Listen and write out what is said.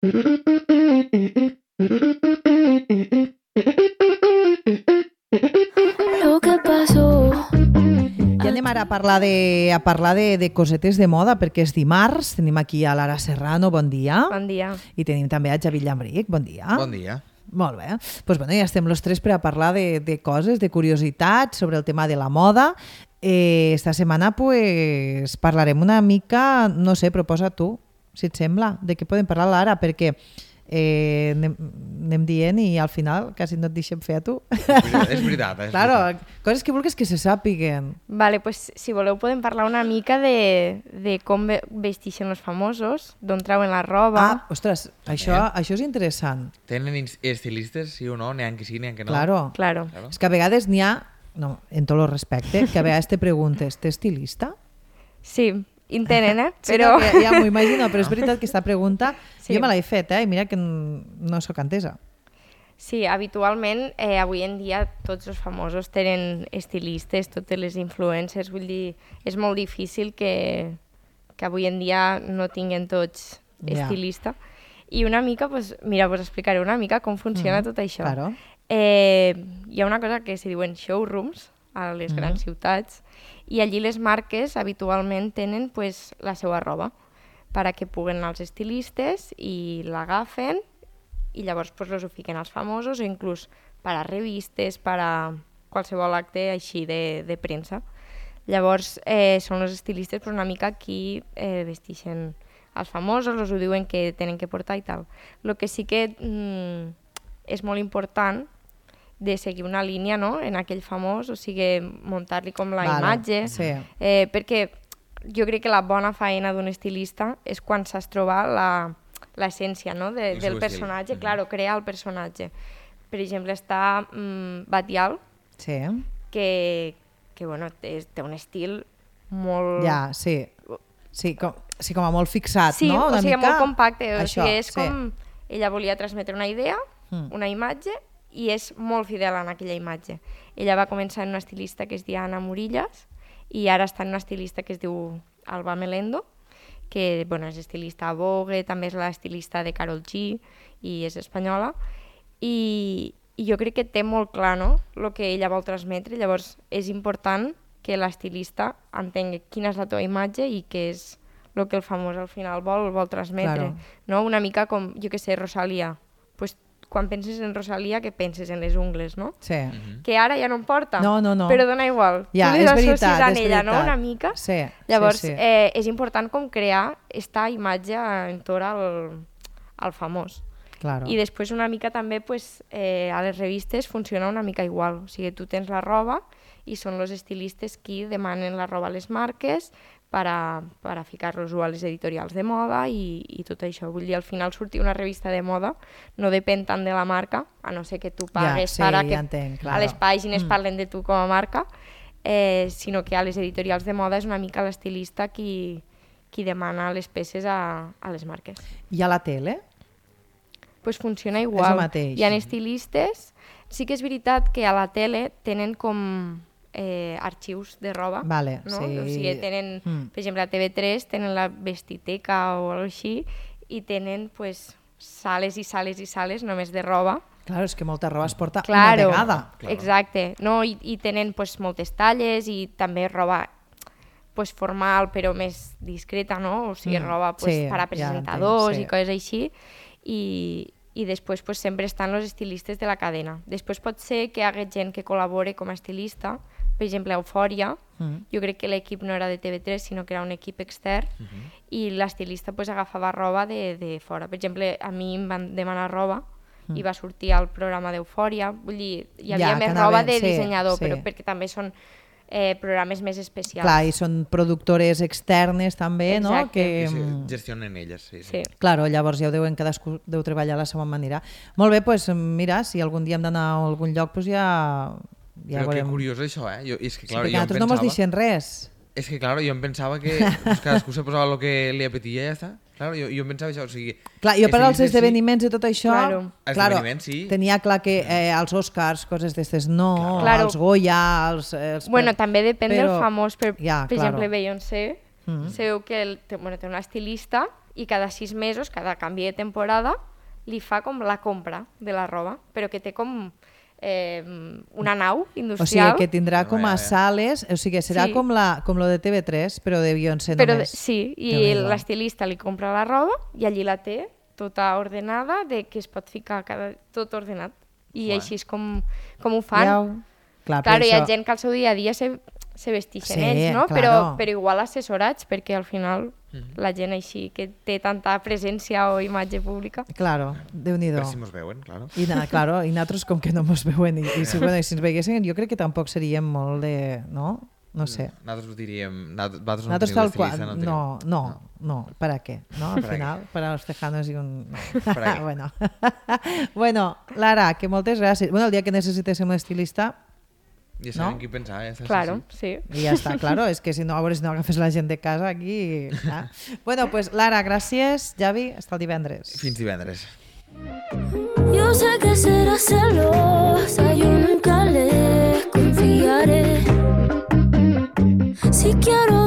Lo que pasó. I anem ara a parlar de cosetes de moda, perquè és dimarts. Tenim aquí a Lara Serrano, bon dia. Bon dia. I tenim també a Javi Llambric, bon dia. Bon dia. Molt bé. Pues bueno, ja estem los tres per a parlar de coses, de curiositats sobre el tema de la moda. Esta setmana pues, parlarem una mica, no sé, proposa tu, si et sembla, de què podem parlar ara, perquè anem dient i al final quasi no et deixem fer a tu. És veritat. Claro, coses que vulguis que se sàpiguen. Vale, pues, si voleu podem parlar una mica de com vestixen els famosos, d'on trauen la roba. Ostres, això és interessant. Tenen estilistes, sí o no? N'hi ha que sí, n'hi ha que no. Claro. És que a vegades n'hi ha, no, en tot el respecte, que a vegades te preguntes, t'és estilista? Sí, intenten, Però... però... Ja m'ho imagino, però és veritat que aquesta pregunta Sí. jo me l'he fet, i mira que no sóc entesa. Sí, habitualment, avui en dia, tots els famosos tenen estilistes, totes les influencers, vull dir, és molt difícil que avui en dia no tinguin tots estilista. I una mica, mira, us explicaré una mica com funciona tot això. Claro. Hi ha una cosa que se diuen showrooms a les grans ciutats i allí les marques habitualment tenen pues, la seva roba per a que puguen els estilistes i l'agafen i llavors pues, los ho fiquen als famosos o inclús per a revistes, per a qualsevol acte així de premsa. Llavors són els estilistes pues, una mica qui vestixen els famosos, els ho diuen que tenen que portar i tal. El que sí que és molt important de seguir una línia, no?, en aquell famós, o sigui, muntar-li com la imatge, perquè jo crec que la bona feina d'un estilista és quan saps trobar l'essència, no?, del personatge, claro, crear el personatge. Per exemple, està Batial, que bueno, té un estil molt... Ja, sí, com a molt fixat, sí, no? Sí, o sigui, molt compacte, això, o sigui, és com... Ella volia transmetre una idea, una imatge, i és molt fidel en aquella imatge. Ella va començar en una estilista que es diu Anna Murillas i ara està en una estilista que es diu Alba Melendo, que bueno, és estilista a Vogue, també és l'estilista de Karol G i és espanyola. I jo crec que té molt clar, no?, el que ella vol transmetre. Llavors és important que l'estilista entengui quina és la teva imatge i què és el que el famós al final vol transmetre. No? Una mica com, jo que sé, Rosalía. Pues, quan penses en Rosalía, que penses en les ungles, no? Sí. Que ara ja no en porta, no. però dona igual. Ja, tu és associes en ella, veritat. no?, una mica. Sí. Llavors, és important com crear esta imatge entorn al famós. Claro. I després una mica també pues, a les revistes funciona una mica igual. O sigui, tu tens la roba i són els estilistes qui demanen la roba a les marques per a ficar-los a les editorials de moda i tot això. Vull dir, al final sortir una revista de moda no depèn tant de la marca, a no ser que tu pagues per a que a les pàgines parlen de tu com a marca, sinó que a les editorials de moda és una mica l'estilista qui demana les peces a les marques. I a la tele? Pues funciona igual. És el mateix. Hi ha estilistes. Sí que és veritat que a la tele tenen com arxius de roba. Vale, no? sí. O sigui, tenen, per exemple, a TV3 tenen la vestiteca o alguna així i tenen pues, sales i sales i sales només de roba. Claro, és que molta roba es porta una vegada. Exacte. No? I tenen pues, moltes talles i també roba pues, formal però més discreta, no? O sigui, roba pues, per a presentadors i coses així. I després pues, sempre estan els estilistes de la cadena. Després pot ser que hi hagi gent que col·labore com a estilista, per exemple, a Eufòria, jo crec que l'equip no era de TV3, sinó que era un equip extern, i l'estilista pues, agafava roba de fora. Per exemple, a mi em van demanar roba i va sortir al programa d'Eufòria. Vull dir, hi havia més roba de dissenyador, però perquè també són programes més especials. Clar, i són productores externes també, no? Que gestionen elles, sí. Claro, llavors ja cadascú deu treballar a la seva manera. Molt bé, doncs mira, si algun dia hem d'anar a algun lloc, doncs ja però que curiós això, És que, clar, perquè nosaltres no mos deixen res. És que, clar, jo em pensava que cadascú se posava el que li apetia i ja està. Clar, jo em pensava això, o sigui... Clar, jo per als esdeveniments i tot això... Claro, tenia clar que els Oscars, coses d'estes no, els Goya... Bueno, també depèn del famós. Per exemple, Beyoncé, sabeu que té una estilista i cada 6 mesos, cada canvi de temporada, li fa com la compra de la roba, però que té com una nau O sigui, industrial. que tindrà com a sales, o sigui, serà Sí. com lo de TV3, però de Beyoncé Però només. sí, i Déu-n'hi-do. l'estilista li compra la roba i allí la té tota ordenada, de que es pot ficar tot ordenat. I així és com ho fan. Veieu? Clar, Claro, hi ha això... gent que al seu dia a dia se vestixen Sí, ells, no? claro. Però igual assessorats, perquè al final la gent així que té tanta presència o imatge pública. Claro, Déu-n'hi-do. Per si mos veuen, claro. Claro, i nosaltres com que no mos veuen i si ens veiguessin jo crec que tampoc seríem molt de... No? No sé. Nosaltres diríem... Nosaltres no Nosaltres tenim tal qual... estilista, No, ¿para qué? ¿No? Al ¿Para final, para los tejanos y un... No. ¿Para qué? Bueno. Bueno, Lara, que moltes gràcies. Bueno, el dia que necessitéssim un estilista, Ja sabem No? qui pensar, ja està. Claro, sí. i ja està, claro, és que si no, a veure si no agafes la gent de casa aquí... Ah. Bueno, pues Lara, gràcies. Javi, hasta el divendres. Fins divendres. Yo sé que serás celosa, yo nunca le confiaré. Si quiero